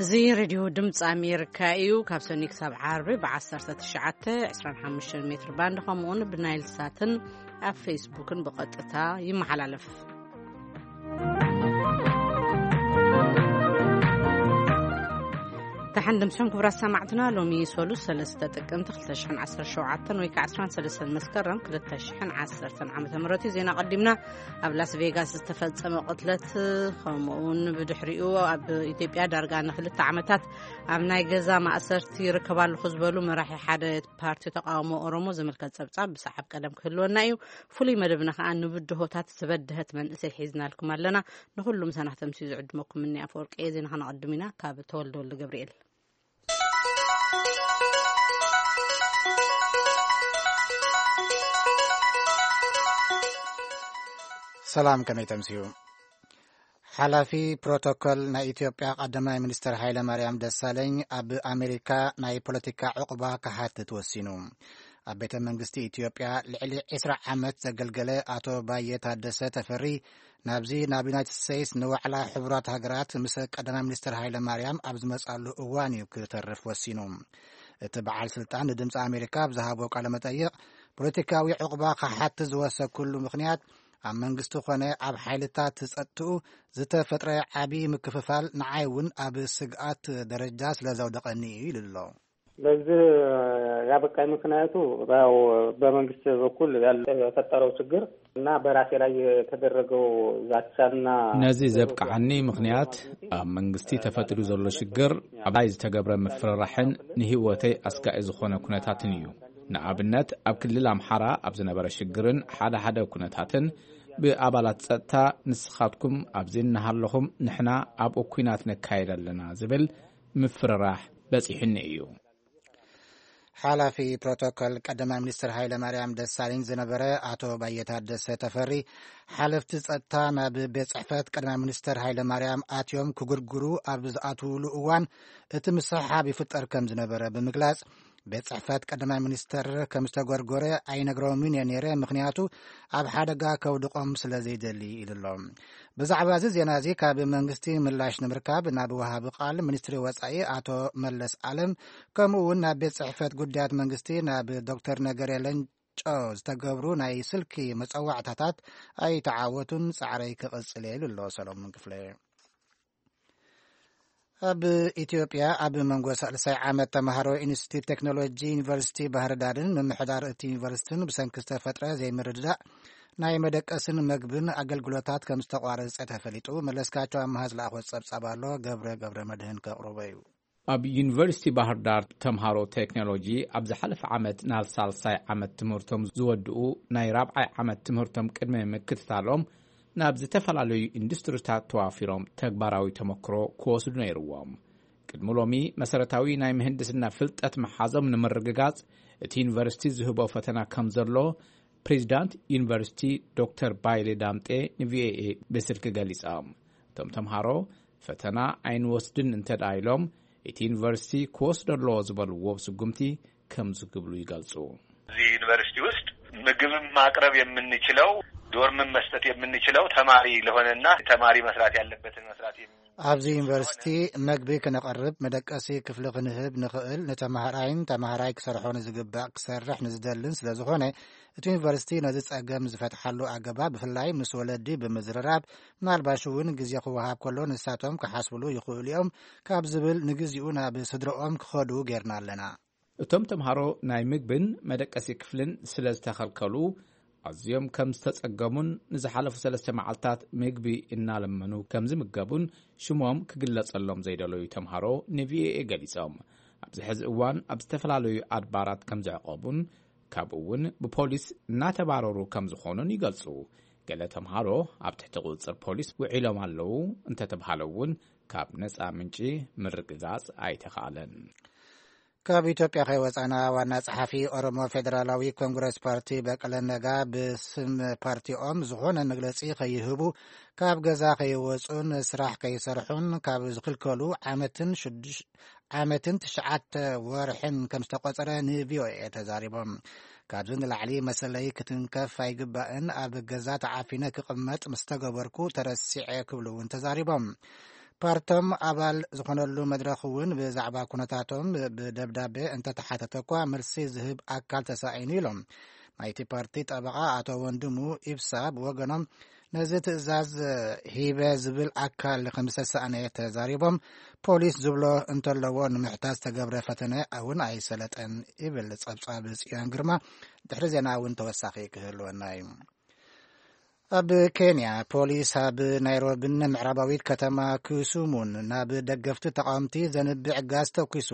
እዚ ሬድዮ ድምፂ ኣሜሪካ እዩ። ካብ ሰኒ ክሳብ ዓርቢ ብ19፣ 25 ሜትር ባንድ ከምኡውን ብናይል ሳትን ኣብ ፌስቡክን ብቐጥታ ይመሓላለፍ። ተሓንድምስም ክቡራት ሰማዕትና፣ ሎሚ ሰሉስ 3 ጥቅምቲ 2017 ወይ ከዓ 13 መስከረም 2010 ዓመተ ምህረት እዩ። ዜና ቀዲምና። ኣብ ላስ ቬጋስ ዝተፈጸመ ቅትለት፣ ከምኡውን ብድሕሪኡ ኣብ ኢትዮጵያ ዳርጋ ንክልተ ዓመታት ኣብ ናይ ገዛ ማእሰርቲ ይርከብ ኣለኹ ዝበሉ መራሒ ሓደ ፓርቲ ተቃውሞ ኦሮሞ ዝምልከት ጸብጻብ ብሰዓብ ቀደም ክህልወና እዩ። ፍሉይ መደብና ከኣ ንብድሆታት ዝበድሀት መንእሰይ ሒዝናልኩም ኣለና። ንኹሉ ምሳና ክተምስዩ ዝዕድመኩም እኒ ኣፈወርቂ እየ። ዜና ከነቐድም ኢና። ካብ ተወልደ ወልደ ገብርኤል። ሰላም፣ ከመይ ተምስዩ? ሓላፊ ፕሮቶኮል ናይ ኢትዮጵያ ቀዳማይ ሚኒስትር ሃይለ ማርያም ደሳለኝ ኣብ ኣሜሪካ ናይ ፖለቲካ ዕቑባ ክሓትት ወሲኑ። ኣብ ቤተ መንግስቲ ኢትዮጵያ ልዕሊ 20 ዓመት ዘገልገለ ኣቶ ባየ ታደሰ ተፈሪ ናብዚ ናብ ዩናይትድ ስቴትስ ንዋዕላ ሕቡራት ሃገራት ምስ ቀዳማይ ሚኒስትር ሃይለ ማርያም ኣብ ዝመጻሉ እዋን እዩ ክተርፍ ወሲኑ። እቲ በዓል ስልጣን ንድምፂ ኣሜሪካ ኣብ ዝሃቦ ቃለ መጠይቕ፣ ፖለቲካዊ ዕቑባ ክሓትት ዝወሰኩሉ ምኽንያት ኣብ መንግስቲ ኮነ ኣብ ሓይልታት ጸጥትኡ ዝተፈጥረ ዓቢ ምክፍፋል ንዓይ እውን ኣብ ስግኣት ደረጃ ስለ ዘውደቐኒ እዩ ኢሉ ኣሎ። ለዚህ ያበቃኝ ምክንያቱ ያው በመንግስት በኩል ያልተፈጠረው ችግር እና በራሴ ላይ የተደረገው ዛቻና ነዚ ዘብቅዓኒ ምኽንያት ኣብ መንግስቲ ተፈጢሩ ዘሎ ሽግር፣ ኣብ ላይ ዝተገብረ ምፍርራሕን ንህይወተይ ኣስጋኢ ዝኾነ ኩነታትን እዩ። ንኣብነት ኣብ ክልል ኣምሓራ ኣብ ዝነበረ ሽግርን ሓደ ሓደ ኩነታትን ብኣባላት ጸጥታ፣ ንስኻትኩም ኣብዚ እናሃለኹም ንሕና ኣብኡ ኲናት ነካይድ ኣለና ዝብል ምፍርራሕ በጺሑኒ እዩ። ሓላፊ ፕሮቶኮል ቀዳማይ ሚኒስትር ሃይለ ማርያም ደሳለኝ ዝነበረ ኣቶ ባየ ታደሰ ተፈሪ፣ ሓለፍቲ ጸጥታ ናብ ቤት ጽሕፈት ቀዳማይ ሚኒስትር ሃይለ ማርያም ኣትዮም ክጉርጉሩ ኣብ ዝኣትውሉ እዋን እቲ ምስሕሓብ ይፍጠር ከም ዝነበረ ብምግላጽ፣ ቤት ጽሕፈት ቀዳማይ ሚኒስተር ከም ዝተጎርጎረ ኣይነግሮምን እየ ነይረ፣ ምኽንያቱ ኣብ ሓደጋ ከውድቖም ስለ ዘይደሊ ኢሉ ኣሎ። ብዛዕባ እዚ ዜና እዚ ካብ መንግስቲ ምላሽ ንምርካብ ናብ ወሃቢ ቃል ሚኒስትሪ ወጻኢ ኣቶ መለስ ኣለም፣ ከምኡ እውን ናብ ቤት ጽሕፈት ጉዳያት መንግስቲ ናብ ዶክተር ነገሬ ለንጮ ዝተገብሩ ናይ ስልኪ መጸዋዕታታት ኣይተዓወቱን። ጻዕረይ ክቕጽል እየ ኢሉ ኣሎ ሰሎሞን ክፍለ። ኣብ ኢትዮጵያ ኣብ መንጎ ሳልሳይ ዓመት ተምሃሮ ኢንስቲትዩት ቴክኖሎጂ ዩኒቨርሲቲ ባህር ዳርን ምምሕዳር እቲ ዩኒቨርሲቲን ብሰንኪ ዝተፈጥረ ዘይምርድዳእ ናይ መደቀስን መግብን ኣገልግሎታት ከም ዝተቋረጸ ተፈሊጡ። መለስካቸው ኣምሃ ዝለኣኾ ጸብጻብ ኣሎ፣ ገብረ ገብረ መድህን ከቕርቦ እዩ። ኣብ ዩኒቨርሲቲ ባህር ዳር ተምሃሮ ቴክኖሎጂ ኣብ ዝሓለፈ ዓመት ናብ ሳልሳይ ዓመት ትምህርቶም ዝወድኡ ናይ ራብዓይ ዓመት ትምህርቶም ቅድሚ ምክትታሎም ናብ ዝተፈላለዩ ኢንዱስትሪታት ተዋፊሮም ተግባራዊ ተመክሮ ክወስዱ ነይርዎም። ቅድሚ ሎሚ መሰረታዊ ናይ ምህንድስና ፍልጠት መሓዞም ንምርግጋጽ እቲ ዩኒቨርሲቲ ዝህቦ ፈተና ከም ዘሎ ፕሬዚዳንት ዩኒቨርሲቲ ዶክተር ባይሌ ዳምጤ ንቪኦኤ ብስልኪ ገሊጾም። እቶም ተምሃሮ ፈተና ኣይንወስድን እንተ ደኣ ኢሎም፣ እቲ ዩኒቨርሲቲ ክወስዶ ኣለዎ ዝበልዎ ስጉምቲ ከምዚ ክብሉ ይገልጹ። እዚህ ዩኒቨርሲቲ ውስጥ ምግብም ማቅረብ የምንችለው፣ ዶርምም መስጠት የምንችለው ተማሪ ለሆነና ተማሪ መስራት ያለበትን መስራት የሚ- ኣብዚ ዩኒቨርሲቲ መግቢ ክነቐርብ፣ መደቀሲ ክፍሊ ክንህብ ንኽእል፣ ንተማሃራይን ተማሃራይ ክሰርሖ ንዝግባእ ክሰርሕ ንዝደልን ስለ ዝኾነ፣ እቲ ዩኒቨርሲቲ ነዚ ጸገም ዝፈትሓሉ ኣገባብ ብፍላይ ምስ ወለዲ ብምዝርራብ፣ ምናልባሽ እውን ግዜ ክወሃብ ከሎ ንሳቶም ክሓስብሉ ይኽእሉ እዮም ካብ ዝብል ንግዚኡ ናብ ስድረኦም ክኸዱ ጌርና ኣለና። እቶም ተምሃሮ ናይ ምግብን መደቀሲ ክፍልን ስለ ዝተኸልከሉ ኣዝዮም ከም ዝተጸገሙን ንዝሓለፉ ሰለስተ መዓልታት ምግቢ እናለመኑ ከም ዝምገቡን ሽሞም ክግለጸሎም ዘይደለዩ ተምሃሮ ንቪኦኤ ገሊጾም። ኣብዚ ሕዚ እዋን ኣብ ዝተፈላለዩ ኣድባራት ከም ዝዕቆቡን ካብኡ እውን ብፖሊስ እናተባረሩ ከም ዝኾኑን ይገልጹ። ገለ ተምሃሮ ኣብ ትሕቲ ቁጽጽር ፖሊስ ውዒሎም ኣለዉ እንተተባሃለ እውን ካብ ነጻ ምንጪ ምርግጋጽ ኣይተኻእለን። ካብ ኢትዮጵያ ከይወጻና ዋና ጸሓፊ ኦሮሞ ፌዴራላዊ ኮንግረስ ፓርቲ በቀለ ነጋ ብስም ፓርቲኦም ዝኾነ መግለጺ ከይህቡ፣ ካብ ገዛ ከይወጹን ስራሕ ከይሰርሑን ካብ ዝኽልከሉ ዓመትን ሽዱሽ-፣ ዓመትን ትሽዓተ ወርሕን ከም ዝተቆጸረ ንቪኦኤ ተዛሪቦም። ካብዚ ንላዕሊ መሰለይ ክትንከፍ ኣይግባእን፣ ኣብ ገዛ ተዓፊነ ክቕመጥ ምስ ተገበርኩ ተረሲዐ ክብሉ እውን ተዛሪቦም። ፓርቶም ኣባል ዝኾነሉ መድረኽ እውን ብዛዕባ ኩነታቶም ብደብዳቤ እንተተሓተተ እኳ፣ መልሲ ዝህብ ኣካል ተሳኢኑ ኢሎም። ናይቲ ፓርቲ ጠበቓ ኣቶ ወንድሙ ኢብሳ ብወገኖም፣ ነዚ ትእዛዝ ሂበ ዝብል ኣካል ከም ዝተሳእነ ተዛሪቦም፣ ፖሊስ ዝብሎ እንተለዎ ንምሕታት ዝተገብረ ፈተነ እውን ኣይሰለጠን ይብል ጸብጻብ ጽዮን ግርማ። ድሕሪ ዜና እውን ተወሳኺ ክህልወና እዩ። ኣብ ኬንያ፣ ፖሊስ ኣብ ናይሮቢን ምዕራባዊት ከተማ ክሱሙን ናብ ደገፍቲ ተቃወምቲ ዘንብዕ ጋዝ ተኩሱ።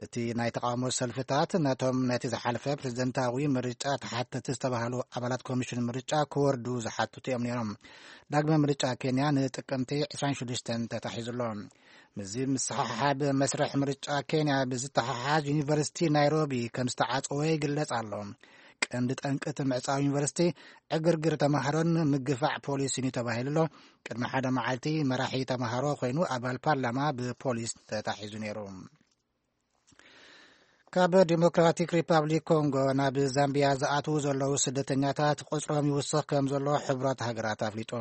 እቲ ናይ ተቃውሞ ሰልፍታት ነቶም ነቲ ዝሓለፈ ፕሬዝደንታዊ ምርጫ ተሓተቲ ዝተባህሉ ኣባላት ኮሚሽን ምርጫ ክወርዱ ዝሓትቱ እዮም ነይሮም። ዳግመ ምርጫ ኬንያ ንጥቅምቲ ዕስራን ሽዱሽተን ተታሒዙ ኣሎ። ምስዚ ምስሓሓብ መስርሕ ምርጫ ኬንያ ብዝተሓሓዝ፣ ዩኒቨርሲቲ ናይሮቢ ከም ዝተዓጸወ ይግለጽ ኣሎ። ቀንዲ ጠንቂ እቲ ምዕጻው ዩኒቨርሲቲ ዕግርግር ተማሃሮን ምግፋዕ ፖሊስን እዩ ተባሂሉ ኣሎ። ቅድሚ ሓደ መዓልቲ መራሒ ተማሃሮ ኮይኑ ኣባል ፓርላማ ብፖሊስ ተታሒዙ ነይሩ። ካብ ዲሞክራቲክ ሪፓብሊክ ኮንጎ ናብ ዛምቢያ ዝኣትዉ ዘለዉ ስደተኛታት ቁጽሮም ይውስኽ ከም ዘሎ ሕቡራት ሃገራት ኣፍሊጡ።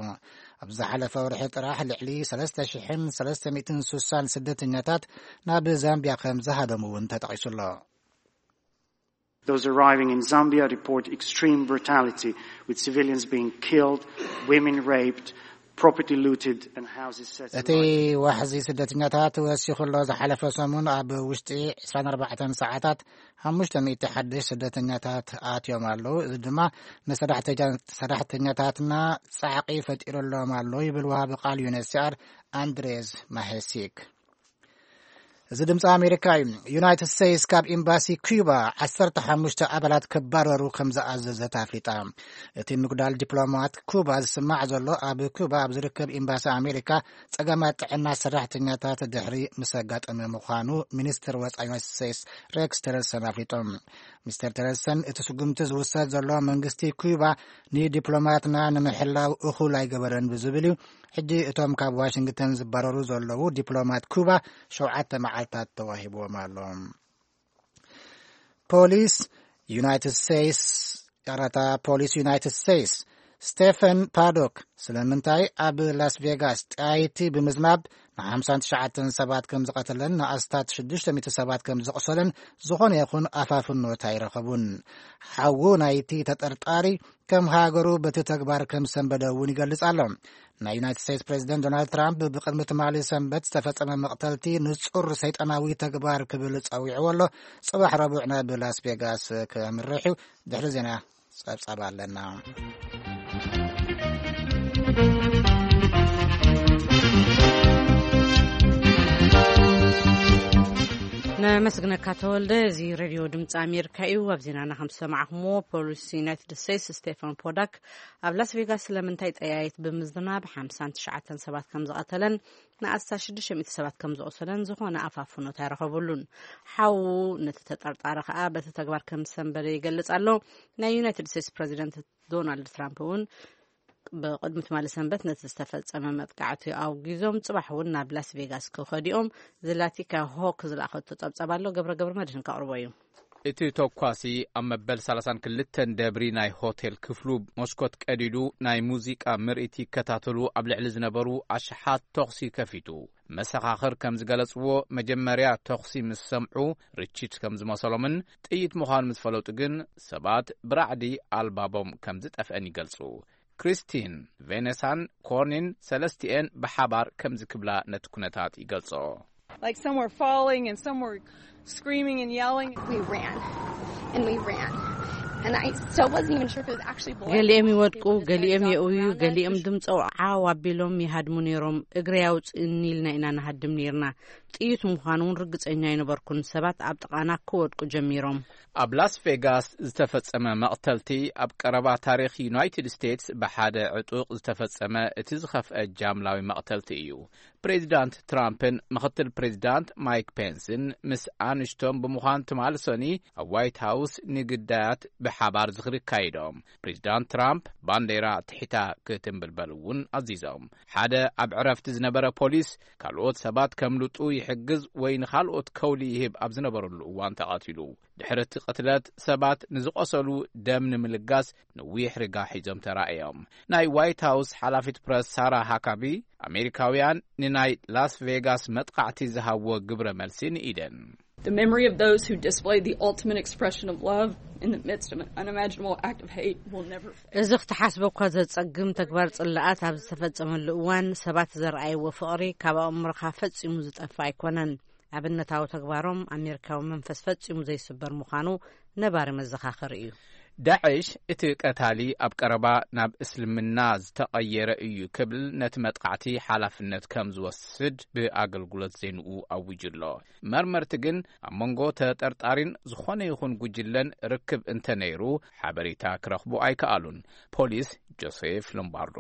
ኣብ ዝሓለፈ ወርሒ ጥራሕ ልዕሊ ሰለስተ ሽሕን ሰለስተ ሚእትን ስሳን ስደተኛታት ናብ ዛምቢያ ከም ዝሃደሙ እውን ተጠቒሱ ኣሎ። Those arriving in Zambia report extreme brutality, with civilians being killed, women raped, property looted, and houses set እቲ alight. ዋሕዚ ስደተኛታት ወሲኹ ኣሎ። ዝሓለፈ ሰሙን ኣብ ውሽጢ ዕስራን ኣርባዕተን ሰዓታት ሓሙሽተ ሚእቲ ሓድሽ ስደተኛታት ኣትዮም ኣለዉ። እዚ ድማ ንሰራሕተኛ-፣ ሰራሕተኛታትና ጻዕቂ ፈጢሩሎም ኣሎ ይብል ወሃቢ ቃል ዩኤንኤችሲኣር ኣንድሬዝ ማሄሲክ። እዚ ድምፂ ኣሜሪካ እዩ። ዩናይትድ ስቴትስ ካብ ኤምባሲ ኩባ ዓሰርተ ሓሙሽተ ኣባላት ክባረሩ ከም ዝኣዘዘት ኣፍሊጣ። እቲ ምጉዳል ዲፕሎማት ኩባ ዝስማዕ ዘሎ፣ ኣብ ኩባ ኣብ ዝርከብ ኤምባሲ ኣሜሪካ ጸገማት ጥዕና ሰራሕተኛታት ድሕሪ ምስ ኣጋጠመ ምዃኑ ሚኒስትር ወጻኢ ዩናይትድ ስቴትስ ሬክስ ቲለርሰን ኣፍሊጦም። ሚስተር ቲለርሰን፣ እቲ ስጉምቲ ዝውሰድ ዘሎ መንግስቲ ኩባ ንዲፕሎማትና ንምሕላው እኹል ኣይገበረን ብዝብል እዩ። ሕጂ እቶም ካብ ዋሽንግተን ዝባረሩ ዘለዉ ዲፕሎማት ኩባ ሸውዓተ መዓልታት ተዋሂብዎም ኣሎ። ፖሊስ ዩናይትድ ስቴትስ፣ ይቕረታ፣ ፖሊስ ዩናይትድ ስቴትስ ስቴፈን ፓዶክ ስለምንታይ ኣብ ላስ ቬጋስ ጠያይቲ ብምዝናብ ንሓምሳን ትሽዓተን ሰባት ከም ዝቐተለን ንኣስታት ሽዱሽተ ሚእቲ ሰባት ከም ዘቑሰለን ዝኾነ ይኹን ኣፋፍኖት ኣይረኸቡን። ሓዉ ናይቲ ተጠርጣሪ ከም ሃገሩ በቲ ተግባር ከም ሰንበደ እውን ይገልጽ ኣሎ። ናይ ዩናይትድ ስቴትስ ፕሬዚደንት ዶናልድ ትራምፕ ብቕድሚ ትማሊ ሰንበት ዝተፈጸመ መቕተልቲ ንጹር ሰይጣናዊ ተግባር ክብል ጸዊዕዎ ኣሎ። ጽባሕ ረቡዕ ናብ ላስ ቬጋስ ከምርሕ እዩ። ድሕሪ ዜና ጸብጻብ ኣለና። ነመስግነካ ተወልደ። እዚ ሬድዮ ድምፂ ኣሜሪካ እዩ። ኣብ ዜናና ከም ዝሰማዕኹምዎ፣ ፖሊስ ዩናይትድ ስቴትስ ስቴፈን ፖዳክ ኣብ ላስ ቬጋስ ስለምንታይ ጠያይት ብምዝናብ ሓምሳን ትሽዓተን ሰባት ከም ዝቐተለን ንኣስታት ሽዱሽተ ሚእቲ ሰባት ከም ዝቖሰለን ዝኾነ ኣፋፍኖት ኣይረኸብሉን። ሓዉ ነቲ ተጠርጣሪ ከኣ በቲ ተግባር ከም ዝሰንበደ ይገልጽ ኣሎ። ናይ ዩናይትድ ስቴትስ ፕሬዚደንት ዶናልድ ትራምፕ እውን ብቕድሚ ትማሊ ሰንበት ነቲ ዝተፈጸመ መጥቃዕቲ ኣውጊዞም፣ ጽባሕ እውን ናብ ላስ ቬጋስ ክኸዱ እዮም። ዝላቲካ ሆክ ዝለኣኸቶ ጸብጻብ ኣሎ፣ ገብረ ገብረ መድህን ከቕርቦ እዩ። እቲ ተኳሲ ኣብ መበል ሰላሳን ክልተን ደብሪ ናይ ሆቴል ክፍሉ መስኮት ቀዲዱ፣ ናይ ሙዚቃ ምርኢት ይከታተሉ ኣብ ልዕሊ ዝነበሩ ኣሽሓት ተኹሲ ከፊቱ። መሰኻኽር ከም ዝገለጽዎ፣ መጀመርያ ተኹሲ ምስ ሰምዑ ርችት ከም ዝመሰሎምን ጥይት ምዃኑ ምስ ፈለጡ ግን፣ ሰባት ብራዕዲ ኣልባቦም ከም ዝጠፍአን ይገልጹ። ክሪስቲን፣ ቬኔሳን ኮርኒን ሰለስቲኤን ብሓባር ከምዚ ክብላ ነቲ ኩነታት ይገልጾ። Like, some were falling and some were screaming and yelling. We ran and we ran. And I still wasn't even sure if it was actually blood. ገሊኦም ይወድቁ፣ ገሊኦም የእውዩ፣ ገሊኦም ድምፂ ዓው ኣቢሎም ይሃድሙ ነይሮም። እግሪ ኣውፅእኒ ኢልና ኢና ንሃድም ነይርና። ጥይት ምዃኑ እውን ርግፀኛ ኣይነበርኩን። ሰባት ኣብ ጥቓና ክወድቁ ጀሚሮም። ኣብ ላስ ቬጋስ ዝተፈጸመ መቕተልቲ ኣብ ቀረባ ታሪኽ ዩናይትድ ስቴትስ ብሓደ ዕጡቕ ዝተፈጸመ እቲ ዝኸፍአ ጃምላዊ መቕተልቲ እዩ። ፕሬዚዳንት ትራምፕን ምኽትል ፕሬዚዳንት ማይክ ፔንስን ምስ ኣንሽቶም ብምዃን ትማሊ ሰኒ ኣብ ዋይት ሃውስ ንግዳያ መዓልታት ብሓባር ዝኽሪ ኣካይዶም። ፕሬዚዳንት ትራምፕ ባንዴራ ትሒታ ክትንብልበል እውን ኣዚዞም። ሓደ ኣብ ዕረፍቲ ዝነበረ ፖሊስ ካልኦት ሰባት ከምልጡ ይሕግዝ ወይ ንኻልኦት ከውሊ ይህብ ኣብ ዝነበረሉ እዋን ተቐቲሉ። ድሕሪ እቲ ቅትለት ሰባት ንዝቖሰሉ ደም ንምልጋስ ነዊሕ ርጋ ሒዞም ተራእዮም። ናይ ዋይት ሃውስ ሓላፊት ፕረስ ሳራ ሃካቢ፣ ኣሜሪካውያን ንናይ ላስ ቬጋስ መጥቓዕቲ ዝሃብዎ ግብረ መልሲ ንኢደን። The memory of those who displayed the ultimate expression of love in the midst of an unimaginable act of hate will never fade. እዚ ክትሓስቦ እኳ ዘጸግም ተግባር ጽላኣት ኣብ ዝተፈጸመሉ እዋን ሰባት ዘርኣይዎ ፍቕሪ ካብ ኣእምሮኻ ፈጺሙ ዝጠፍእ ኣይኮነን። ኣብነታዊ ተግባሮም ኣሜሪካዊ መንፈስ ፈጺሙ ዘይስበር ምዃኑ ነባሪ መዘኻኸሪ እዩ። ዳዕሽ እቲ ቀታሊ ኣብ ቀረባ ናብ እስልምና ዝተቐየረ እዩ ክብል ነቲ መጥቃዕቲ ሓላፍነት ከም ዝወስድ ብኣገልግሎት ዜንኡ ኣዊጁ ኣሎ። መርመርቲ ግን ኣብ መንጎ ተጠርጣሪን ዝኾነ ይኹን ጉጅለን ርክብ እንተነይሩ ሓበሬታ ክረኽቡ ኣይከኣሉን። ፖሊስ ጆሴፍ ሎምባርዶ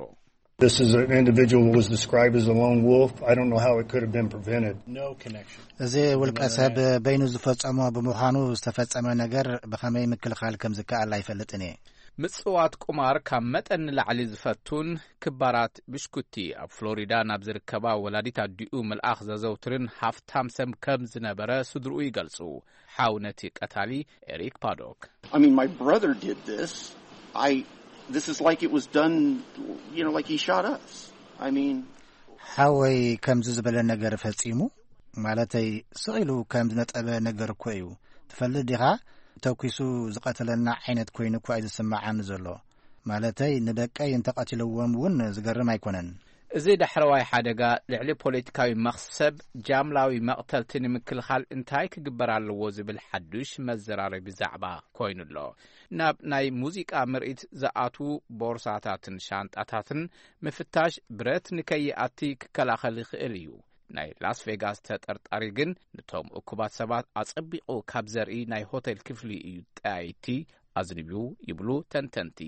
This is an individual who was described as a lone wolf. I don't know how it could have been prevented. No connection. እዚ ውልቀ ሰብ በይኑ ዝፈጸሞ ብምዃኑ ዝተፈጸመ ነገር ብኸመይ ምክልኻል ከም ዝከኣል ኣይፈልጥን እየ። ምጽዋት ቁማር ካብ መጠን ንላዕሊ ዝፈቱን ክባራት ብሽኩቲ ኣብ ፍሎሪዳ ናብ ዝርከባ ወላዲት ኣዲኡ ምልኣኽ ዘዘውትርን ሃፍታም ሰብ ከም ዝነበረ ስድርኡ ይገልጹ። ሓው ነቲ ቀታሊ ኤሪክ ፓዶክ። I mean, my brother did this. I, this is like it was done, you know, like he shot us. I mean, ሓወይ ከምዚ ዝበለ ነገር ፈጺሙ፣ ማለተይ ስቕ ኢሉ ከም ዝነጠበ ነገር እኮ እዩ። ትፈልጥ ዲኻ? ተኲሱ ዝቐተለና ዓይነት ኮይኑ እኳ እዩ ዝስምዓኒ ዘሎ። ማለተይ ንደቀይ እንተቐቲልዎም እውን ዝገርም ኣይኮነን። እዚ ዳሕረዋይ ሓደጋ ልዕሊ ፖለቲካዊ መኽሰብ ጃምላዊ መቕተልቲ ንምክልኻል እንታይ ክግበር ኣለዎ ዝብል ሓዱሽ መዘራረቢ ዛዕባ ኮይኑ ኣሎ። ናብ ናይ ሙዚቃ ምርኢት ዝኣትዉ ቦርሳታትን ሻንጣታትን ምፍታሽ ብረት ንከይኣቲ ክከላኸል ይኽእል እዩ። ናይ ላስ ቬጋስ ተጠርጣሪ ግን ነቶም እኩባት ሰባት ኣጸቢቑ ካብ ዘርኢ ናይ ሆቴል ክፍሊ እዩ ጠያይቲ ኣዝንብዩ ይብሉ ተንተንቲ።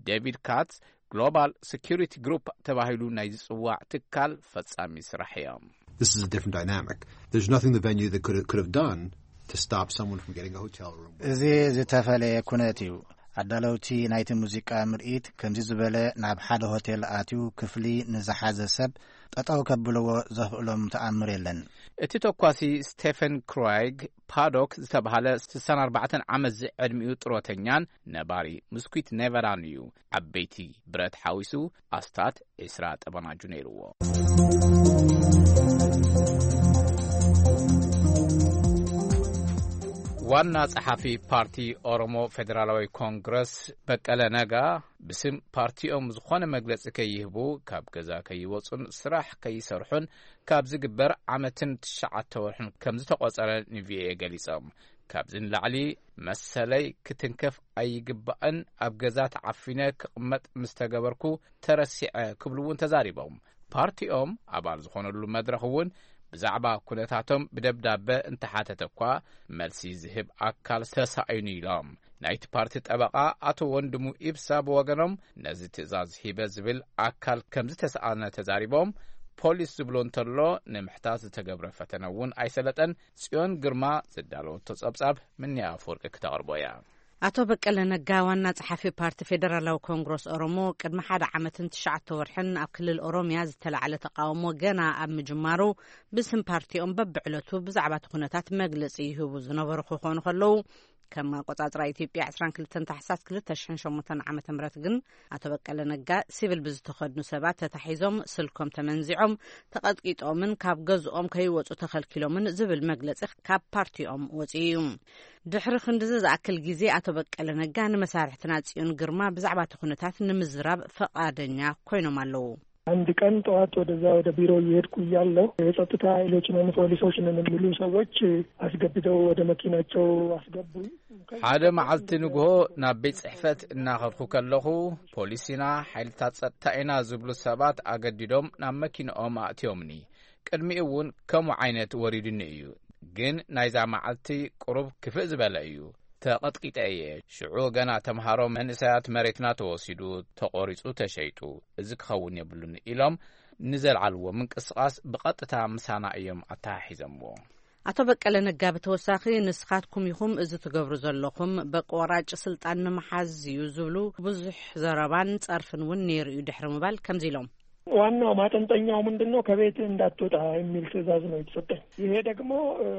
ዴቪድ ካትስ ግሎባል ሴኩሪቲ ግሩፕ ተባሂሉ ናይ ዝጽዋዕ ትካል ፈጻሚ ስራሕ እዮም። This is a different dynamic. There's nothing the venue that could have, could have done to stop someone from getting a hotel room. እዚ ዝተፈለየ ኩነት እዩ። ኣዳለውቲ ናይቲ ሙዚቃ ምርኢት ከምዚ ዝበለ ናብ ሓደ ሆቴል ኣትዩ ክፍሊ ንዝሓዘ ሰብ ጠጠው ከብልዎ ዘኽእሎም ተኣምር የለን። እቲ ተኳሲ ስቴፈን ክራይግ ፓዶክ ዝተባህለ ስሳን ኣርባዕተን ዓመት ዝዕድሚኡ ጥሮተኛን ነባሪ ምስኩት ኔቨራን እዩ። ዓበይቲ ብረት ሓዊሱ ኣስታት ዒስራ ጠበናጁ ነይርዎ። ዋና ጸሓፊ ፓርቲ ኦሮሞ ፌደራላዊ ኮንግረስ በቀለ ነጋ ብስም ፓርቲኦም ዝኾነ መግለጺ ከይህቡ፣ ካብ ገዛ ከይወጹን ስራሕ ከይሰርሑን ካብ ዝግበር ዓመትን ትሽዓተ ወርሕን ከም ዝተቖጸረ ንቪኦኤ ገሊጾም። ካብዚ ንላዕሊ መሰለይ ክትንከፍ ኣይግባእን፣ ኣብ ገዛ ተዓፊነ ክቕመጥ ምስ ተገበርኩ ተረሲዐ ክብሉ እውን ተዛሪቦም። ፓርቲኦም ኣባል ዝኾነሉ መድረኽ እውን ብዛዕባ ኩነታቶም ብደብዳበ እንተሓተተ እኳ መልሲ ዝህብ ኣካል ተሳኢኑ ኢሎም። ናይቲ ፓርቲ ጠበቓ ኣቶ ወንድሙ ኢብሳ ብወገኖም ነዚ ትእዛዝ ሂበ ዝብል ኣካል ከም ዝተሰኣነ ተዛሪቦም፣ ፖሊስ ዝብሎ እንተሎ ንምሕታት ዝተገብረ ፈተነ እውን ኣይሰለጠን። ጽዮን ግርማ ዘዳለወቶ ጸብጻብ ምንያ ኣፈወርቂ ክተቕርቦ እያ። ኣቶ በቀለ ነጋ ዋና ጸሓፊ ፓርቲ ፌደራላዊ ኮንግረስ ኦሮሞ ቅድሚ ሓደ ዓመትን ትሽዓተ ወርሕን ኣብ ክልል ኦሮምያ ዝተላዕለ ተቃውሞ ገና ኣብ ምጅማሩ ብስም ፓርቲኦም በብዕለቱ ብዛዕባ እቲ ኩነታት መግለጺ ይህቡ ዝነበሩ ክኾኑ ከለዉ፣ ከም ኣቆጻጽራ ኢትዮጵያ ዕስራን ክልተን ታሕሳስ ክልተ ሽሕን ሸሞንተን ዓመተ ምህረት ግን ኣቶ በቀለ ነጋ ሲቪል ብዝተኸድኑ ሰባት ተታሒዞም፣ ስልኮም ተመንዚዖም፣ ተቐጥቂጦምን ካብ ገዝኦም ከይወጹ ተኸልኪሎምን ዝብል መግለጺ ካብ ፓርቲኦም ወጺኡ እዩ። ድሕሪ ክንድዚ ዝኣክል ግዜ ኣቶ በቀለ ነጋ ንመሳርሕትና ጽዮን ግርማ ብዛዕባ እቲ ኩነታት ንምዝራብ ፈቓደኛ ኮይኖም ኣለዉ። አንድ ቀን ጠዋት ወደዛ ወደ ቢሮ እየሄድኩ እያለሁ የጸጥታ ኃይሎች ነን ፖሊሶች ነን የሚሉ ሰዎች አስገድደው ወደ መኪናቸው አስገቡኝ። ሓደ መዓልቲ ንግሆ ናብ ቤት ጽሕፈት እናኸድኩ ከለኹ፣ ፖሊስ ኢና፣ ሓይልታት ጸጥታ ኢና ዝብሉ ሰባት ኣገዲዶም ናብ መኪንኦም ኣእትዮምኒ። ቅድሚኡ እውን ከምኡ ዓይነት ወሪዱኒ እዩ። ግን ናይዛ መዓልቲ ቁሩብ ክፍእ ዝበለ እዩ። ተቐጥቂጠ እየ። ሽዑ ገና ተምሃሮ መንእሰያት መሬትና ተወሲዱ፣ ተቖሪጹ፣ ተሸይጡ። እዚ ክኸውን የብሉን ኢሎም ንዘልዓልዎ ምንቅስቓስ ብቐጥታ ምሳና እዮም ኣተሓሒዘምዎ። ኣቶ በቀለ ነጋ ብተወሳኺ፣ ንስኻትኩም ኢኹም እዚ ትገብሩ ዘለኹም፣ በቂ ወራጭ ስልጣን ንምሓዝ እዩ ዝብሉ ብዙሕ ዘረባን ጸርፍን እውን ነይሩ እዩ ድሕሪ ምባል ከምዚ ኢሎም። ዋናው ማጠንጠኛው ምንድን ነው? ከቤት እንዳትወጣ የሚል ትዕዛዝ ነው የተሰጠኝ። ይሄ ደግሞ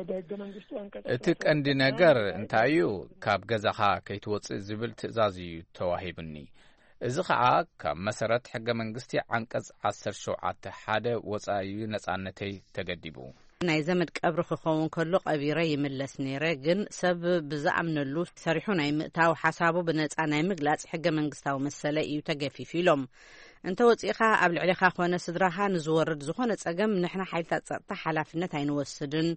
በህገ መንግስቱ አንቀጽ እቲ ቀንዲ ነገር እንታይ እዩ? ካብ ገዛኻ ከይትወጽእ ዝብል ትእዛዝ እዩ ተዋሂቡኒ። እዚ ኸዓ ካብ መሰረት ሕገ መንግስቲ ዓንቀጽ ዓሰርተ ሸውዓተ ሓደ ወጻኢ እዩ ነጻነተይ ተገዲቡ። ናይ ዘመድ ቀብሪ ክኸውን ከሎ ቀቢረ ይምለስ ነይረ፣ ግን ሰብ ብዝኣምነሉ ሰሪሑ ናይ ምእታው ሓሳቡ ብነጻ ናይ ምግላጽ ሕገ መንግስታዊ መሰለ እዩ ተገፊፉ ኢሎም። እንተ ወጺእኻ ኣብ ልዕሌኻ ኮነ ስድራኻ ንዝወርድ ዝኾነ ጸገም ንሕና ሓይልታት ጸጥታ ሓላፍነት ኣይንወስድን።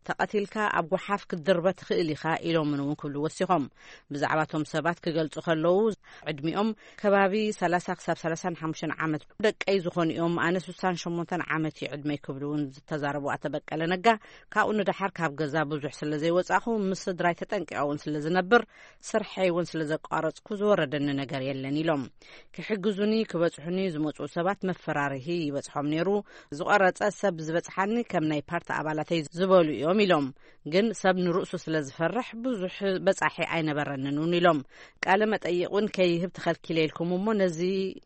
ተቐቲልካ ኣብ ጓሓፍ ክትድርበ ትኽእል ኢኻ ኢሎምን እውን ክብሉ ወሲኾም። ብዛዕባ እቶም ሰባት ክገልጹ ከለዉ ዕድሚኦም ከባቢ ሰላሳ ክሳብ ሰላሳን ሓሙሽተን ዓመት ደቀይ ዝኾኑ እዮም። ኣነ ስሳን ሸሞንተን ዓመት እዩ ዕድመይ ክብሉ እውን ዝተዛረቡ ኣቶ በቀለ ነጋ፣ ካብኡ ንደሓር ካብ ገዛ ብዙሕ ስለ ዘይወጻኹ ምስ ስድራይ ተጠንቂቐ እውን ስለ ዝነብር ስርሐይ እውን ስለ ዘቋረጽኩ ዝወረደኒ ነገር የለን ኢሎም። ክሕግዙኒ ክበጽሑኒ ዝመጽኡ ሰባት መፈራርሂ ይበጽሖም ነይሩ። ዝቆረጸ ሰብ ዝበጽሓኒ ከም ናይ ፓርቲ ኣባላተይ ዝበሉ እዮም ኢሎም። ግን ሰብ ንርእሱ ስለ ዝፈርሕ ብዙሕ በጻሒ ኣይነበረንን እውን ኢሎም። ቃለ መጠይቕ እውን ከይህብ ተኸልኪለ ኢልኩም እሞ ነዚ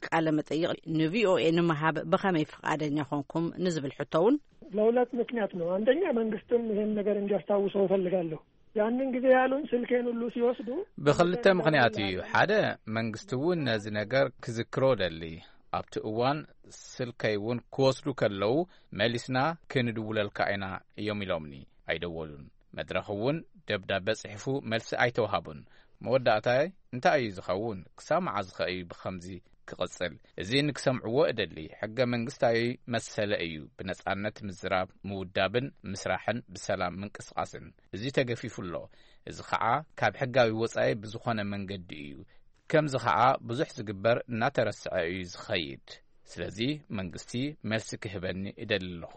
ቃለ መጠይቕ ንቪኦኤ ንምሃብ ብኸመይ ፍቓደኛ ኮንኩም ንዝብል ሕቶ እውን ለሁለት ምክንያት ነው። አንደኛ መንግስትም ይሄን ነገር እንዲያስታውሰው እፈልጋለሁ። ያንን ጊዜ ያሉን ስልኬን ሁሉ ሲወስዱ ብኽልተ ምኽንያት እዩ። ሓደ መንግስቲ እውን ነዚ ነገር ክዝክሮ ደሊ። ኣብቲ እዋን ስልከይ እውን ክወስዱ ከለዉ መሊስና ክንድውለልካ ኢና እዮም ኢሎምኒ። ኣይደወሉን። መድረኽ እውን ደብዳበ ጽሒፉ መልሲ ኣይተውሃቡን። መወዳእታይ እንታይ እዩ ዝኸውን? ክሳብ መዓዝ ኸ እዩ ብኸምዚ ክቕጽል? እዚ ንክሰምዕዎ እደሊ። ሕገ መንግስታዊ መሰለ እዩ ብነጻነት ምዝራብ፣ ምውዳብን ምስራሕን ብሰላም ምንቅስቓስን። እዚ ተገፊፉ ኣሎ። እዚ ኸዓ ካብ ሕጋዊ ወጻኢ ብዝኾነ መንገዲ እዩ። ከምዚ ኸዓ ብዙሕ ዝግበር እናተረስዐ እዩ ዝኸይድ። ስለዚ መንግስቲ መልሲ ክህበኒ እደሊ ኣለኹ።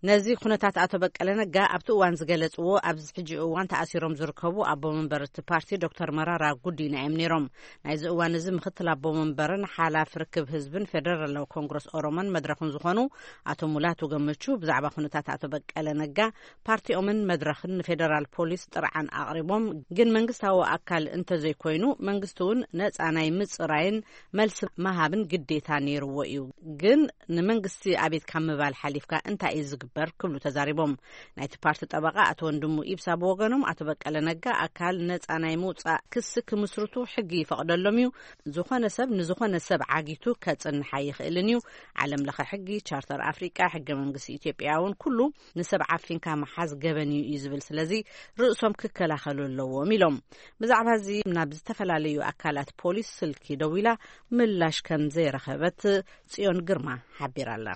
ነዚ ኩነታት ኣቶ በቀለ ነጋ ኣብቲ እዋን ዝገለጽዎ፣ ኣብዚ ሕጂ እዋን ተኣሲሮም ዝርከቡ ኣቦ መንበር እቲ ፓርቲ ዶክተር መራራ ጉዲና እዮም ነይሮም። ናይዚ እዋን እዚ ምክትል ኣቦ መንበርን ሓላፊ ርክብ ህዝብን ፌደራላዊ ኮንግረስ ኦሮሞን መድረኽን ዝኾኑ ኣቶ ሙላቱ ገመቹ ብዛዕባ ኩነታት ኣቶ በቀለ ነጋ ፓርቲኦምን መድረኽን ንፌደራል ፖሊስ ጥርዓን ኣቕሪቦም፣ ግን መንግስታዊ ኣካል እንተዘይኮይኑ መንግስቲ እውን ነጻ ናይ ምጽራይን መልሲ ምሃብን ግዴታ ነይርዎ እዩ። ግን ንመንግስቲ ኣቤት ካብ ምባል ሓሊፍካ እንታይ እዩ ዝግበር ክብሉ ተዛሪቦም። ናይቲ ፓርቲ ጠበቓ ኣቶ ወንድሙ ኢብሳ ብወገኖም ኣቶ በቀለ ነጋ ኣካል ነጻ ናይ ምውጻእ ክሲ ክምስርቱ ሕጊ ይፈቕደሎም እዩ። ዝኾነ ሰብ ንዝኾነ ሰብ ዓጊቱ ከጽንሕ ኣይኽእልን እዩ። ዓለም ለኸ ሕጊ፣ ቻርተር ኣፍሪቃ፣ ሕገ መንግስቲ ኢትዮጵያ እውን ኩሉ ንሰብ ዓፊንካ ምሓዝ ገበን እዩ እዩ ዝብል። ስለዚ ርእሶም ክከላኸሉ ኣለዎም ኢሎም። ብዛዕባ እዚ ናብ ዝተፈላለዩ ኣካላት ፖሊስ ስልኪ ደዊላ ምላሽ ከም ዘይረኸበት ጽዮን ግርማ ሓቢራላ።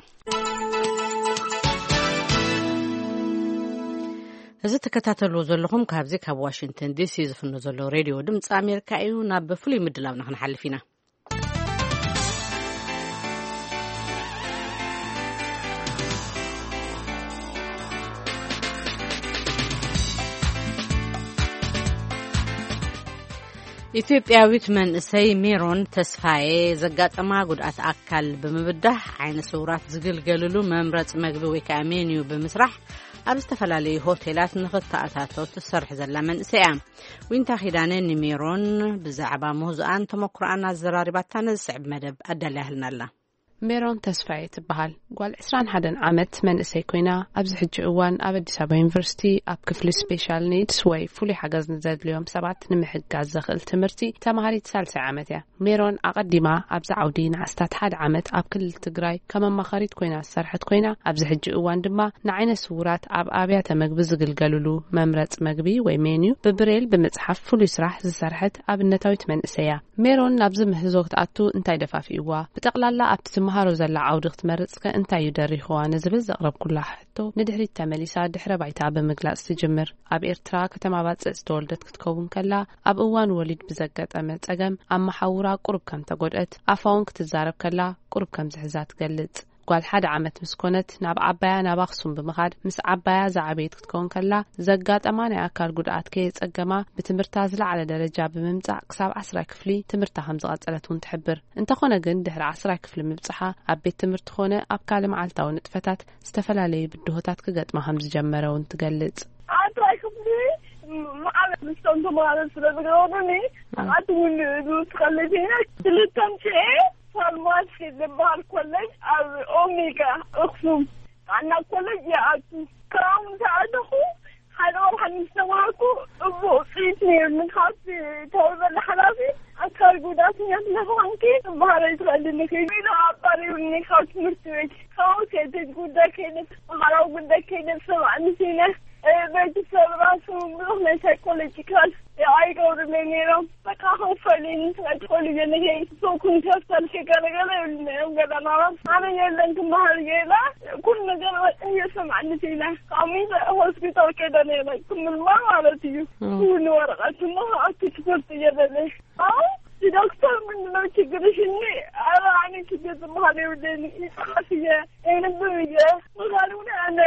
እዚ ትከታተልዎ ዘለኹም ካብዚ ካብ ዋሽንግተን ዲሲ ዝፍኖ ዘሎ ሬድዮ ድምፂ ኣሜሪካ እዩ። ናብ ፍሉይ ምድላውና ክንሓልፍ ኢና። ኢትዮጵያዊት መንእሰይ ሜሮን ተስፋዬ ዘጋጠማ ጉድኣት ኣካል ብምብዳህ ዓይነ ስውራት ዝግልገልሉ መምረፂ መግቢ ወይ ከዓ ሜንዩ ብምስራሕ ኣብ ዝተፈላለዩ ሆቴላት ንኽተኣታቶ ትሰርሕ ዘላ መንእሰይ እያ። ዊንታ ኪዳነ ንሜሮን ብዛዕባ ምህዞኣን ተመክሮኣን ኣዘራሪባታ ነዚ ስዕብ መደብ ኣዳልያህልና ኣላ። ሜሮን ተስፋዬ ትበሃል። ጓል ዕስራን ሓደን ዓመት መንእሰይ ኮይና፣ ኣብዚ ሕጂ እዋን ኣብ ኣዲስ ኣበባ ዩኒቨርሲቲ ኣብ ክፍሊ ስፔሻል ኒድስ ወይ ፍሉይ ሓገዝ ንዘድልዮም ሰባት ንምሕጋዝ ዘኽእል ትምህርቲ ተማሃሪት ሳልሳይ ዓመት እያ። ሜሮን ኣቐዲማ ኣብዚ ዓውዲ ንኣስታት ሓደ ዓመት ኣብ ክልል ትግራይ ከም ኣማኻሪት ኮይና ዝሰርሐት ኮይና፣ ኣብዚ ሕጂ እዋን ድማ ንዓይነ ስውራት ኣብ ኣብያተ መግቢ ዝግልገሉሉ መምረፂ መግቢ ወይ ሜንዩ ብብሬል ብምፅሓፍ ፍሉይ ስራሕ ዝሰርሐት ኣብነታዊት መንእሰይ እያ። ሜሮን ናብዚ ምህዞ ክትኣቱ እንታይ ደፋፊእዋ? ብጠቕላላ ኣብቲ ትመሃሮ ዘላ ዓውዲ ክትመርጽ ከ እንታይ እዩ ደሪኽዋ? ንዝብል ዘቕረብኩላ ሕቶ ንድሕሪት ተመሊሳ ድሕረ ባይታ ብምግላጽ ትጅምር። ኣብ ኤርትራ ከተማ ባጽዕ ዝተወልደት ክትከውን ከላ፣ ኣብ እዋን ወሊድ ብዘጋጠመ ጸገም ኣብ መሓውራ ቁሩብ ከም ተጎድአት፣ ኣፋ እውን ክትዛረብ ከላ ቁሩብ ከም ዝሕዛ ትገልጽ። ጓል ሓደ ዓመት ምስ ኮነት ናብ ዓባያ ናብ ኣኽሱም ብምኻድ ምስ ዓባያ ዝዓበየት ክትከውን ከላ ዘጋጠማ ናይ ኣካል ጉድኣት ከየጸገማ ብትምህርታ ዝለዓለ ደረጃ ብምምጻእ ክሳብ ዓስራይ ክፍሊ ትምህርታ ከም ዝቐጸለት እውን ትሕብር። እንተኾነ ግን ድሕሪ ዓስራይ ክፍሊ ምብጽሓ ኣብ ቤት ትምህርቲ ኾነ ኣብ ካልእ መዓልታዊ ንጥፈታት ዝተፈላለዩ ብድሆታት ክገጥማ ከም ዝጀመረ እውን ትገልጽ። መዓለት ምስቶም ተምሃሮ ስለ ዝገበሩኒ ኣቲ እውን ዝውስኸለይ ኮይነ ክልተ ኣምስኤ ፋርማሲ ዝበሃል ኮሌጅ ኣብ ኦሜጋ ኣኽሱም ጥዕና ኮሌጅ ይኣቱ። ካብኡ ምስ ኣተኹ ሓደ ወርሒ ምስ ተማሃርኩ እቡ ውፅኢት ነይሩኒ። ካብቲ ተወርበለ ሓላፊ ኣካል ጉዳተኛ ስለዝኾንኪ ትበሃለይ ትኽእልኒ ኢሉ ኣባሪሩኒ ካብ ትምህርቲ ቤት። ካብኡ ከይተጅ ጉዳይ ከይነት ማሕበራዊ ጉዳይ ከይነት ሰብኣኒ ሲነ ቤተሰብ ራሱ ብዙሕ ናይ ሳይኮሎጂካል ኣይገብሩለይ ነይሮም። በቃ ከፈሉኒ ሳይኮሎጂ ንከይ ሰው ኩንተፍተል ከገለገለ ይብሉና እዮም ገዳናራት ኣነ የለን ክመሃር ገላ ኩሉ ነገር በቃ እየሰማዕኒ ሲነ ካብ ሆስፒታል ከይደ ነይረ ክምልማ ማለት እዩ። እውን ወረቐት እሞ ኣብቲ ትምህርቲ እየበለ ኣዎ ዶክተር ምንድነው ችግርሽ? እኒ ኧረ ኣነ ችግር ዝበሃል የብለይን። ይፅሓፍ እየ የንብብ እየ። ምኻድ እውን ኣነ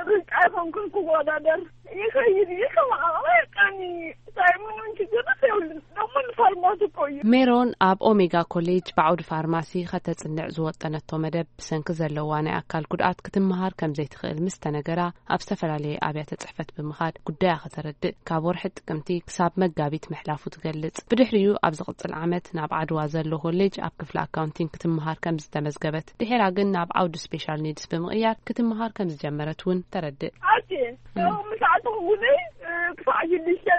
ርጫ ይኾንኩን ክወዳደር ይኸይድ እየ። ከማዕቐባ የቃኒ እንታይ ምንም ችግር የብልን። ደሞ ንፋርማሲ እኮ እዩ። ሜሮን ኣብ ኦሜጋ ኮሌጅ ብዓውዲ ፋርማሲ ከተጽንዕ ዝወጠነቶ መደብ ብሰንኪ ዘለዋ ናይ ኣካል ጉድኣት ክትመሃር ከም ዘይትኽእል ምስ ተነገራ ኣብ ዝተፈላለየ ኣብያተ ጽሕፈት ብምኻድ ጉዳያ ከተረድእ ካብ ወርሒ ጥቅምቲ ክሳብ መጋቢት ምሕላፉ ትገልጽ። ብድሕሪኡ ኣብ ዝቕጽል ዓመት ናብ ዓድዋ ዘሎ ኮሌጅ ኣብ ክፍሊ ኣካውንቲንግ ክትመሃር ከም ዝተመዝገበት ድሒራ ግን ናብ ዓውዲ ስፔሻል ኒድስ ብምቕያር ክትመሃር ከም ዝጀመረት እውን ተረድእ። ኣቲ ምስ ኣተኹ ጉደይ ክሳዕ ሽዱሽተ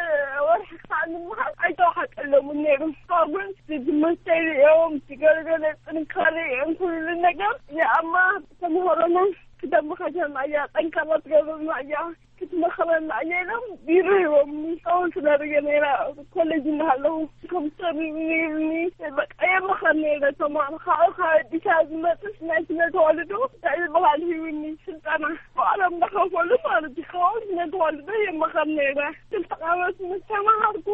ወርሒ ክሳዕ ንምሃር ኣይተዋሓጠሎምን ነይሩ። ካብኡ ግን ትምህርተይ ሪኦም ትገልገለ ጥንካሬ ኩሉ ነገር የኣማ ተምሃሮና ክደምኻሸና እያ ጠንካራ ትገብርና እያ ክትመኽረና እያ ኢሎም ቢሮ ሂቦምኒ። ከምኡ ስለ ርየ ነይራ ኮሌጅ እናሃለኹ ኮምፒተር ነይሩኒ። በቃ የመኸር ነይረ ተማሃሮ ካብኡ ካብ ኣዲስ ኣበባ ዝመፅስ ናይ ስነ ተዋልዶ እንታይ ዝበሃል ሂቡኒ ስልጠና ባዕሎም እናኸፈሉ ማለት እዩ። ካብኡ ስነ ተዋልዶ የመኸር ነይረ ክልተ ዓመት ምስ ተማሃርኩ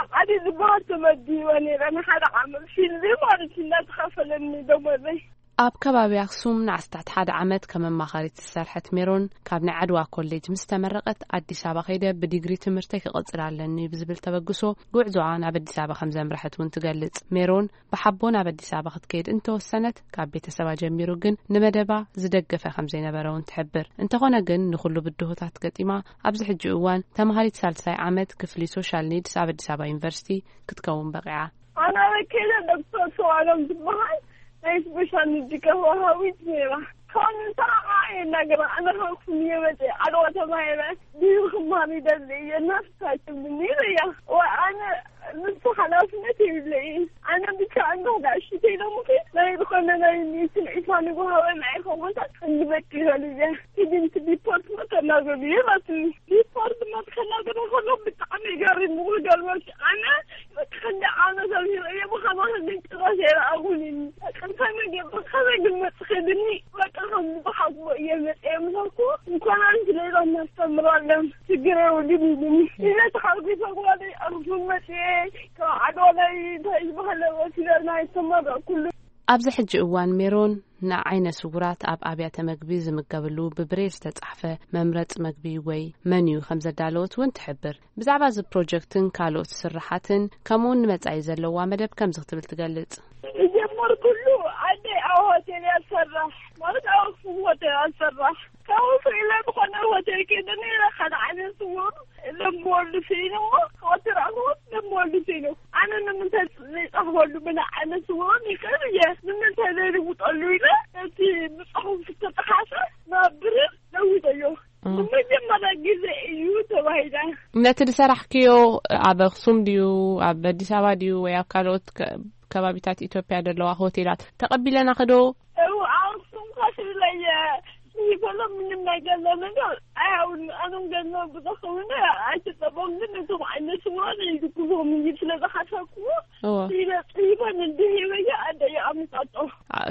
ኣብ ዓዲ ዝበሃል ተመዲበ ነይረ ንሓደ ዓመት ፊልድ ማለት እዩ እናተኸፈለኒ ደሞዘይ። ኣብ ከባቢ ኣኽሱም ንኣስታት ሓደ ዓመት ከም ኣማኻሪት ዝሰርሐት ሜሮን፣ ካብ ናይ ዓድዋ ኮሌጅ ምስ ተመረቐት ኣዲስ ኣበባ ከይደ ብዲግሪ ትምህርተይ ክቕጽል ኣለኒ ብዝብል ተበግሶ ጉዕዞኣ ናብ ኣዲስ ኣበባ ከም ዘምረሐት እውን ትገልጽ። ሜሮን ብሓቦ ናብ ኣዲስ ኣበባ ክትከይድ እንተወሰነት፣ ካብ ቤተሰባ ጀሚሩ ግን ንመደባ ዝደገፈ ከም ዘይነበረ እውን ትሕብር። እንተኾነ ግን ንኹሉ ብድሆታት ገጢማ ኣብዚ ሕጂ እዋን ተምሃሪት ሳልሳይ ዓመት ክፍሊ ሶሻል ኒድስ ኣብ ኣዲስ ኣበባ ዩኒቨርሲቲ ክትከውን በቒዓ። ኣና በኬለ ዶክተር ሰዋሎም ዝበሃል ናይ ስፔሻል ኒድ ከፋሃዊት ነይራ። ካብ ንሳ ከዓ የናገራ ኣነ ከኩም እየ መፅእ ዓለዋ ተማሂረ ድዩ ክማር ይደሊ እየ እናፍሳትም ነይረ እያ። ወይ ኣነ ንሱ ሓላፍነት የብለይ። ኣነ ብቻ እንዶ ዳሽተይ ሎምኺ ናይ ዝኾነ ናይ ሚስን ዒፋ ንጎሃወ ናይ ኸቦታት እንድበቂ ይበል እየ። ሂድንቲ ዲፖርት መተናገሩ እየ ናትኒ ዲፖርት መተናገሩ ከሎ ብጣዕሚ ገሪሙ። ክገርመኪ ኣነ በቃ ክንዲ ዓመት ኣልሂረ እየ ብኸማኺ ግን ጭራሽ ኣይረኣኹን እዩ። በቃ እንታይ መገብ ከመይ ግን መፅኺ ድኒ በቃ ከም ዝበሓትዎ እየ መፅየ ምሳኩ እንኳን ኣንቲ ሌላ እናስተምራለን ችግር የብሉን ኢሉኒ። ኢለ ተሓጒሰ ጓለይ ኣኽሱም መፅየ ካብ ዓድዋ ናይ እንታይ ዝበሃለ ወሲደ ናይ ተመረቕኩሉ ኣብዚ ሕጂ እዋን ሜሮን ንዓይነ ስውራት ኣብ ኣብያተ መግቢ ዝምገብሉ ብብሬል ዝተጻሕፈ መምረጽ መግቢ ወይ መኒዩ ከም ዘዳለወት እውን ትሕብር። ብዛዕባ እዚ ፕሮጀክትን ካልኦት ስርሓትን ከምኡውን ንመጻኢ ዘለዋ መደብ ከምዚ ክትብል ትገልጽ። ዝጀመርኩሉ ዓደይ ኣብ ሆቴል እያ ዝሰርሕ ማለት ኣብ ኣክሱም ሆቴል እያ ዝሰርሕ። ካብኡ ስኢለ ዝኾነ ሆቴል ከይደ ነይረ ሓደ ዓይነት ስውር ለምወሉ ስኢነ እሞ ካብኡ ትረኽቦ ለምወሉ ስኢነ ኣነ ንምንታይ ዘይጻሕፈሉ ብናይ ዓይነት ስውርን ይኽእል እየ ንምንታይ ዘይልውጠሉ ኢለ እቲ ብጽሑፍ ዝተጠሓሰ ናብ ብርር ለዊጠዮ። ንመጀመርያ ግዜ እዩ ተባሂለ። ነቲ ዝሰራሕክዮ ኣብ ኣኽሱም ድዩ ኣብ ኣዲስ ኣበባ ድዩ ወይ ኣብ ካልኦት ከ- ከባቢታት ኢትዮጵያ ዘለዋ ሆቴላት ተቐቢለናኺ ዶ? እው ኣኽሱም ከፊለየ ይበሎ ምንም ነገር ለነገር ኣያውን ኣነም ገንዘብ ብዘኸውን ኣይትጠቀም ግን እቶም ዓይነት ስውራን ይድግፎም እዩ ስለ ዝሓሰብኩዎ እወ። ኢለ ጽሂበን እንዲህ ይበየ ኣደ ይኣምጣጦ።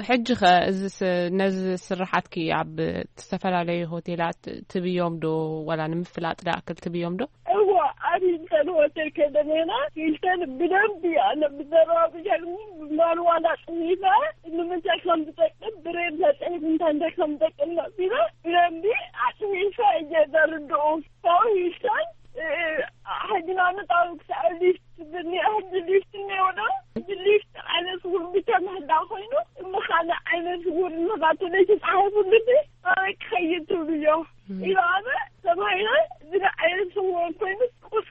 ሕጂ ኸ እዚ ስ- ነዚ ስርሓትኪ ኣብ ዝተፈላለዩ ሆቴላት ትብዮም ዶ ዋላ ንምፍላጥ ዳኣክል ትብዮም ዶ? እዋ ኣብ ሂልተን ሆቴል ከደሜና ሂልተን ብደንብ ኣነ ብዘረባ ብሻግኒ ማንዋላ ጽሒፈ ንምንታይ ከም ዝጠቅም ብሬን ተጽሒፍ እንታይ እንታይ ከም ዝጠቅም ነቢረ ብደንቢ ኣጽሒፈ እየ ዘርድኡ። ካብኡ ሂልተን ሕጂ ንኣብነት ኣብ ክሳዕ ሊፍት ብኒ ሕጂ ሊፍት እኒኦ ዶ? ሕጂ ሊፍት ዓይነት ስውር ብቻ ምህላ ኮይኑ እሞ ካልእ ዓይነት ስውር እናታተለ ተጻሒፉ ልቢ ኣበይ ክኸይድ ትብልዮ? ኢሉ ኣነ ተባሂለ ዝለ ዓይነት ስውር ኮይኑ ቁስ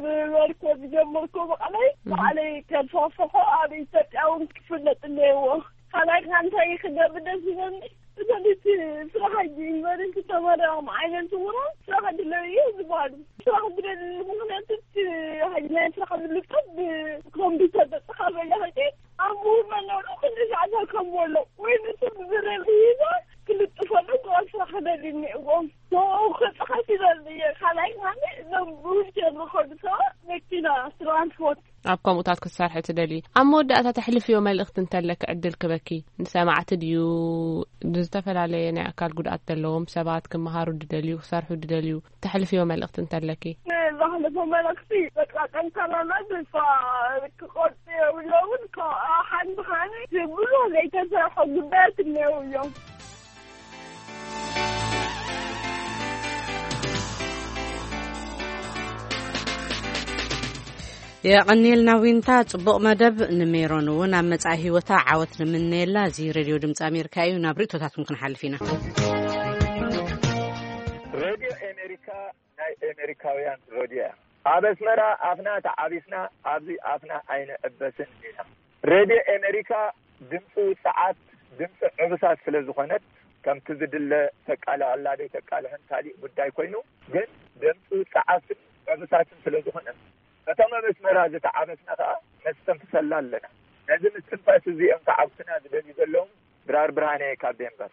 ብመርኮ ዝጀመርኩ ብቓለይ ባዕለይ ከስፋፍሖ ኣብ ኢትዮጵያ እውን ክፍለጥ እኒአዎ። ካልኣይ ከዓ እንታይ ክገብር ደስ ይብለኒ? እተን እቲ ስራሕ ሕጂ ዩኒቨርሲቲ ተመረቕም ዓይነት ስውራ ስራሕ ድለዩ እዩ ዝበሃሉ። ስራሕ ድለሉ ምኽንያት እቲ ሕጂ ናይ ስራሕ ዝልቀብ ብኮምፒውተር ተጠኻበለ ሕጂ ኣብ ምሁር መነሩ ክንዲ ሻዕዛ ከም ወሎ ወይ ንሱ ብዝረል ይዛ ክልጥፈሉ ክቐስራ ክደሊ እኒእዎም። ንኡ ክፅሓፍ ይደሊ እየ። ካልኣይ ማለት እዞም ብዊልቸር ዝኸዱ ሰባት መኪና ትራንስፖርት ኣብ ከምኡታት ክትሰርሒ ትደሊ። ኣብ መወዳእታ ተሕልፍዮ መልእኽቲ እንተለኪ ዕድል ክበኪ። ንሰማዕቲ ድዩ? ንዝተፈላለየ ናይ ኣካል ጉድኣት ዘለዎም ሰባት ክመሃሩ ድደልዩ፣ ክሰርሑ ድደልዩ፣ ተሕልፍዮ መልእኽቲ እንተለኪ? ዝሓለፈ መልእኽቲ በቃ ጠንካራና ተስፋ ክቆርጡ የብሎምን። ካብኣ ሓንቲ ከዓኒ ብዙሕ ዘይተሰርሐ ጉዳያት እኒአው እዮም። የቐንየልና ዊንታ፣ ጽቡቕ መደብ። ንሜሮን እውን ኣብ መጻኢ ህይወታ ዓወት ንምነየላ። እዚ ሬድዮ ድምጺ ኣሜሪካ እዩ። ናብ ርእቶታትኩም ክንሓልፍ ኢና። ሬድዮ ኣሜሪካ ናይ ኣሜሪካውያን ሬድዮ እያ። ኣብ ኣስመራ ኣፍና ተዓቢስና ኣብዚ ኣፍና ኣይንዕበስን ኢና። ሬድዮ ኣሜሪካ ድምፂ ውፅዓት፣ ድምፂ ዕብሳት ስለ ዝኾነት፣ ከምቲ ዝድለ ተቃልዕ ኣላ ደይ ተቃልሕን ካሊእ ጉዳይ ኮይኑ፣ ግን ድምፂ ውፅዓትን ዕብሳትን ስለ ዝኾነ፣ እቶም ኣብ ኣስመራ ዝተዓበስና ከዓ ነስተንፍሰላ ኣለና። ነዚ ምስትንፋስ እዚ እዮም ተዓብስና ዝደልዩ ዘለዉ። ድራር ብርሃነ ካብ ዴንቨር።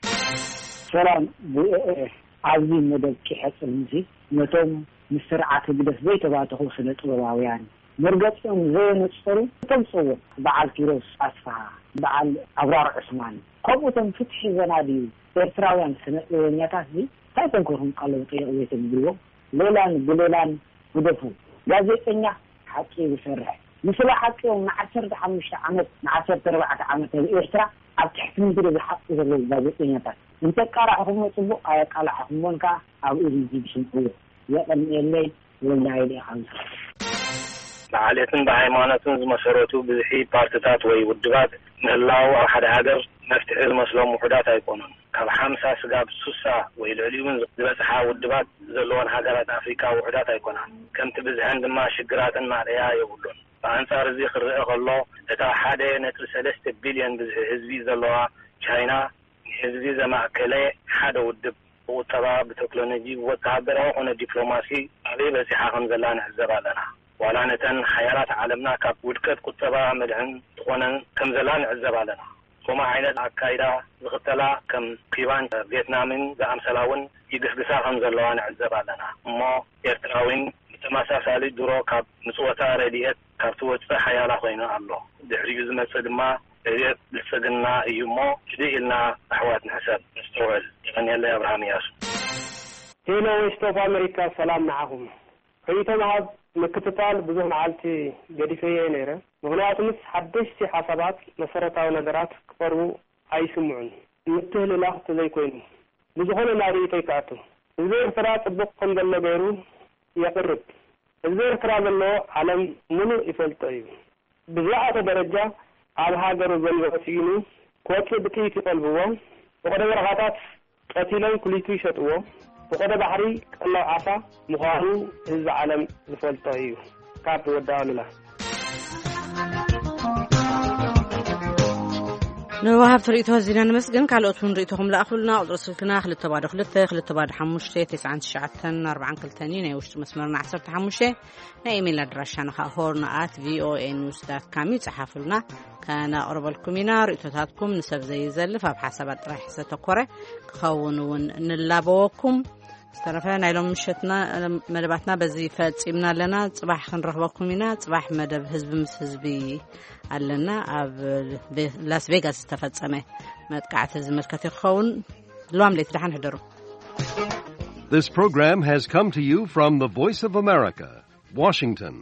ሰላም ቪኦኤ። ኣብዚ መደብ ኪሐጽን እዚ ነቶም ምስ ስርዓት ህግደፍ ዘይተባተኹ ስነ ጥበባውያን መርገጺኦም ዘየነጸሩ እቶም ጽውዕ በዓል ኪሮስ ኣስፍሃ፣ በዓል ኣብራር ዑስማን፣ ከምኡቶም ፍትሒ ዘናድዩ ኤርትራውያን ስነ ጥበበኛታት እዚ እንታይ ኮንኩርኩም ቃሎም ጠየቕ ዘይተብልዎ? ሌላን ብሌላን ግደፉ። ጋዜጠኛ ሓቂ ዝሰርሕ፣ ንስለ ሓቂ እዮም ንዓሰርተ ሓሙሽተ ዓመት ንዓሰርተ ኣርባዕተ ዓመት ኣብ ኤርትራ ኣብ ትሕቲ ምድሪ ዝሓቁ ዘለዉ ጋዜጠኛታት። እንተቃላዕኹሞ ጽቡቕ፣ ኣየቃላዕኹሞን ከኣ ኣብኡ ህዝቢ ዝስምዕዎ። የቐንየለይ። ወልደ ሃይለ ኢኻ። ብዓሌትን ብሃይማኖትን ዝመሰረቱ ብዝሒ ፓርትታት ወይ ውድባት ምህላው ኣብ ሓደ ሃገር መፍትሒ ዝመስሎም ውሑዳት ኣይኮኑን። ካብ ሓምሳ ስጋብ ሱሳ ወይ ልዕሊኡ እውን ዝበጽሓ ውድባት ዘለወን ሃገራት ኣፍሪካ ውሑዳት ኣይኮናን። ከምቲ ብዝሐን ድማ ሽግራትን ማእለያ የብሉን። ብኣንጻር እዚ ክረአ ከሎ፣ እታ ሓደ ነጥቢ ሰለስተ ቢልዮን ብዝሒ ህዝቢ ዘለዋ ቻይና፣ ንህዝቢ ዘማእከለ ሓደ ውድብ፣ ብቁጠባ፣ ብቴክኖሎጂ፣ ብወተሃደራዊ ኮነ ዲፕሎማሲ ኣበይ በጺሓ ከም ዘላ ንዕዘብ ኣለና። ዋላ ነተን ሓያላት ዓለምና ካብ ውድቀት ቁጠባ መድሕን ትኾነን ከም ዘላ ንዕዘብ ኣለና። ከምኡ ዓይነት ኣካይዳ ዝኽተላ ከም ኪባን ቪየትናምን ዝኣምሰላ እውን ይግስግሳ ከም ዘለዋ ንዕዘብ ኣለና። እሞ ኤርትራ እውን ብተመሳሳሊ ድሮ ካብ ምጽወታ ረድኤት ካብ ትወጽእ ሓያላ ኮይኑ ኣሎ። ድሕሪኡ ዝመጽእ ድማ ረድኤት ብልጽግና እዩ እሞ ህድእ ኢልና ኣሕዋት ንሕሰብ፣ ነስተውዕል። የቐንየለይ። ኣብርሃም እያሱ። ሄሎ ቮይስ ኦፍ ኣሜሪካ፣ ሰላም ንዓኹም። ርእይቶ ምሃብ ምክትታል ብዙሕ መዓልቲ ገዲፈዮ እየ ነይረ። ምኽንያቱ ምስ ሓደሽቲ ሓሳባት መሰረታዊ ነገራት ክቐርቡ ኣይስምዑን፣ ምትህልላኽ ተዘይኮይኑ። ብዝኾነ ናብ ርእይቶይ ክኣቱ። ህዝቢ ኤርትራ ጽቡቕ ከም ዘሎ ገይሩ የቕርብ። ህዝቢ ኤርትራ ዘለዎ ዓለም ምሉእ ይፈልጦ እዩ። ብዝለዓለ ደረጃ ኣብ ሃገሩ ዘንብዖ ስኢኑ ክወጽእ ብጥይት ይቐልብዎ፣ ብቐደ በረኻታት ቀቲሎም ኩሊቱ ይሸጥዎ፣ ብቐደ ባሕሪ ቀለብ ዓሳ ምዃኑ ህዝቢ ዓለም ዝፈልጦ እዩ። ካብ ወዲ ኣሉላ። ንወሃብቲ ርእይቶ ኣዚና ነመስግን። ካልኦት እውን ርእይቶኹም ለኣኹልና። ቁጽሪ ስልክና ክልተ ባዶ ክልተ፣ ክልተ ባዶ ሓሙሽተ፣ ተስዓን ትሽዓተን ኣርባዓን ክልተን እዩ። ናይ ውሽጢ መስመርና ዓሰርተ ሓሙሽተ። ናይ ኢሜይል ኣድራሻና ኸኣ ሆርን ኣት ቪኦኤ ኒውስ ዳት ካም እዩ። ጸሓፉልና፣ ከነቕርበልኩም ኢና። ርእይቶታትኩም ንሰብ ዘይዘልፍ፣ ኣብ ሓሳባት ጥራሕ ዝተኮረ ክኸውን እውን ንላበወኩም። ዝተረፈ ናይ ሎም ምሸትና መደባትና በዚ ፈጺምና ኣለና። ጽባሕ ክንረኽበኩም ኢና። ጽባሕ መደብ ህዝቢ ምስ ህዝቢ ኣለና። ኣብ ላስ ቬጋስ ዝተፈጸመ መጥቃዕቲ ዝምልከት ክኸውን። ልዋም ለይቲ ደሓን ሕደሩ። This program has come to you from the Voice of America, Washington.